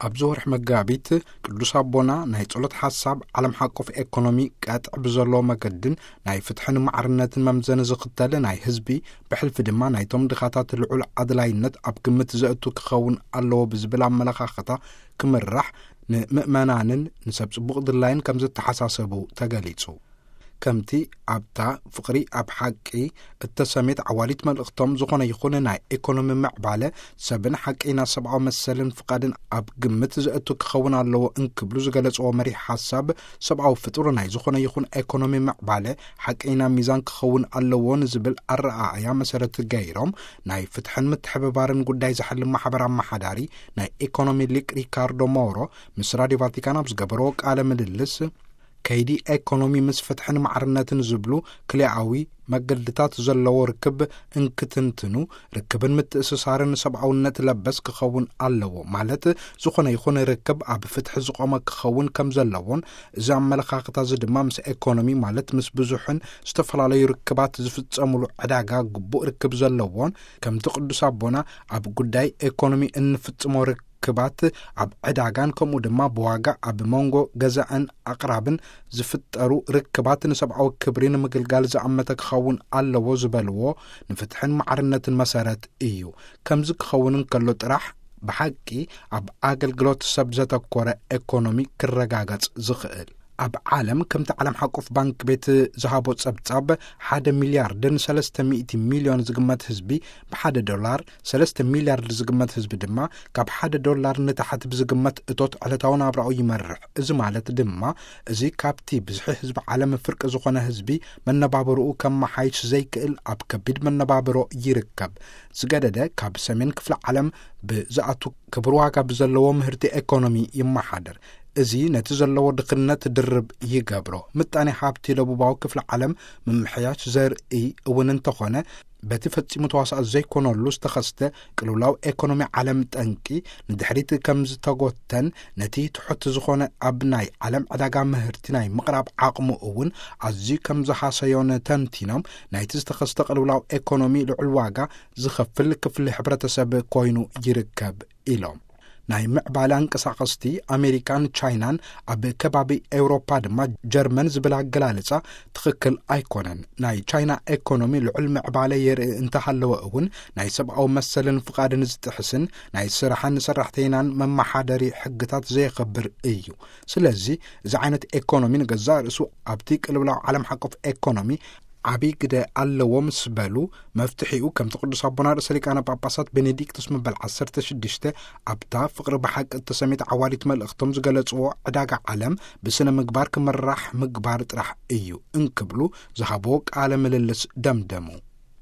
ኣብዚ ወርሒ መጋቢት ቅዱስ ኣቦና ናይ ጸሎት ሓሳብ ዓለም ሓቆፍ ኤኮኖሚ ቀጥዕ ብዘለዎ መገድን ናይ ፍትሕን ማዕርነትን መምዘኒ ዝኽተል ናይ ህዝቢ፣ ብሕልፊ ድማ ናይቶም ድኻታት ልዑል ኣድላይነት ኣብ ግምት ዘእቱ ክኸውን ኣለዎ ብዝብል ኣመለኻኽታ ክምራሕ ንምእመናንን ንሰብ ጽቡቕ ድላይን ከም ዝተሓሳሰቡ ተገሊጹ። ከምቲ ኣብታ ፍቕሪ ኣብ ሓቂ እተሰሜት ዓዋሊት መልእኽቶም፣ ዝኾነ ይኹን ናይ ኤኮኖሚ ምዕባለ ሰብን ሓቀይና ሰብኣዊ መሰልን ፍቓድን ኣብ ግምት ዘእቱ ክኸውን ኣለዎ እንክብሉ ዝገለጽዎ መሪሕ ሓሳብ፣ ሰብኣዊ ፍጡር ናይ ዝኾነ ይኹን ኤኮኖሚ ምዕባለ ሓቀይና ሚዛን ክኸውን ኣለዎ ንዝብል ኣረኣእያ መሰረት ገይሮም፣ ናይ ፍትሕን ምትሕብባርን ጉዳይ ዝሓልም ማሕበር ኣመሓዳሪ ናይ ኤኮኖሚ ሊቅ ሪካርዶ ሞሮ ምስ ራድዮ ቫቲካን ኣብ ዝገበርዎ ቃለ ምልልስ፣ ከይዲ ኤኮኖሚ ምስ ፍትሕን ማዕርነትን ዝብሉ ክልኣዊ መገድታት ዘለዎ ርክብ እንክትንትኑ፣ ርክብን ምትእስሳርን ሰብኣውነት ለበስ ክኸውን ኣለዎ፣ ማለት ዝኾነ ይኹን ርክብ ኣብ ፍትሒ ዝቖመ ክኸውን ከም ዘለዎን፣ እዚ ኣመለኻኽታ እዚ ድማ ምስ ኤኮኖሚ፣ ማለት ምስ ብዙሕን ዝተፈላለዩ ርክባት ዝፍጸሙሉ ዕዳጋ ግቡእ ርክብ ዘለዎን፣ ከምቲ ቅዱስ ኣቦና ኣብ ጉዳይ ኤኮኖሚ እንፍጽሞ ርክባት ኣብ ዕዳጋን ከምኡ ድማ ብዋጋ ኣብ መንጎ ገዛእን ኣቕራብን ዝፍጠሩ ርክባት ንሰብኣዊ ክብሪ ንምግልጋል ዝኣመተ ክኸውን ኣለዎ ዝበልዎ፣ ንፍትሕን ማዕርነትን መሰረት እዩ። ከምዚ ክኸውን እንከሎ ጥራሕ ብሓቂ ኣብ ኣገልግሎት ሰብ ዘተኮረ ኤኮኖሚ ክረጋገጽ ዝኽእል። ኣብ ዓለም፣ ከምቲ ዓለም ሓቆፍ ባንክ ቤት ዝሃቦ ጸብጻብ፣ ሓደ ሚልያርድን ሰለስተ ሚእቲ ሚልዮን ዝግመት ህዝቢ፣ ብሓደ ዶላር፣ ሰለስተ ሚልያርድ ዝግመት ህዝቢ ድማ ካብ ሓደ ዶላር ንታሕቲ ብዝግመት እቶት ዕለታዊ ናብራኡ ይመርሕ። እዚ ማለት ድማ፣ እዚ ካብቲ ብዝሒ ህዝቢ ዓለም ፍርቂ ዝኾነ ህዝቢ መነባብሮኡ ከመሓይሽ ዘይክእል ኣብ ከቢድ መነባብሮ ይርከብ። ዝገደደ፣ ካብ ሰሜን ክፍለ ዓለም ብዝኣቱ ክቡር ዋጋ ብዘለዎ ምህርቲ ኤኮኖሚ ይመሓደር። እዚ ነቲ ዘለዎ ድኽነት ድርብ ይገብሮ። ምጣኔ ሃብቲ ደቡባዊ ክፍለ ዓለም ምምሕያሽ ዘርኢ እውን እንተኾነ፣ በቲ ፈጺሙ ተዋሳእ ዘይኮነሉ ዝተኸስተ ቅልውላው ኤኮኖሚ ዓለም ጠንቂ ንድሕሪት ከም ዝተጎተን፣ ነቲ ትሑት ዝኾነ ኣብ ናይ ዓለም ዕዳጋ ምህርቲ ናይ ምቕራብ ዓቕሙ እውን ኣዝዩ ከም ዝሃሰዮን ተንቲኖም፣ ናይቲ ዝተኸስተ ቅልውላው ኤኮኖሚ ልዑል ዋጋ ዝኸፍል ክፍሊ ሕብረተሰብ ኮይኑ ይርከብ ኢሎም። ናይ ምዕባለ ኣንቀሳቐስቲ ኣሜሪካን ቻይናን፣ ኣብ ከባቢ ኤውሮፓ ድማ ጀርመን ዝብል ኣገላልጻ ትኽክል ኣይኮነን። ናይ ቻይና ኤኮኖሚ ልዑል ምዕባለ የርኢ እንተሃለወ እውን፣ ናይ ሰብኣዊ መሰልን ፍቓድን ዝጥሕስን ናይ ስራሕን ሰራሕተይናን መመሓደሪ ሕግታት ዘየኸብር እዩ። ስለዚ፣ እዚ ዓይነት ኤኮኖሚ ንገዛእ ርእሱ ኣብቲ ቅልውላው ዓለም ሓቆፍ ኤኮኖሚ ዓብዪ ግደ ኣለዎ ምስ በሉ፣ መፍትሒኡ ከምቲ ቅዱስ ኣቦና ርእሰ ሊቃነ ጳጳሳት ቤኔዲክቶስ መበል ዓሰርተ ሽዱሽተ ኣብታ ፍቕሪ ብሓቂ እተሰሜት ዓዋዲት መልእኽቶም ዝገለጽዎ፣ ዕዳጋ ዓለም ብስነ ምግባር ክምራሕ ምግባር ጥራሕ እዩ እንክብሉ ዝሃብዎ ቃለ ምልልስ ደምደሙ።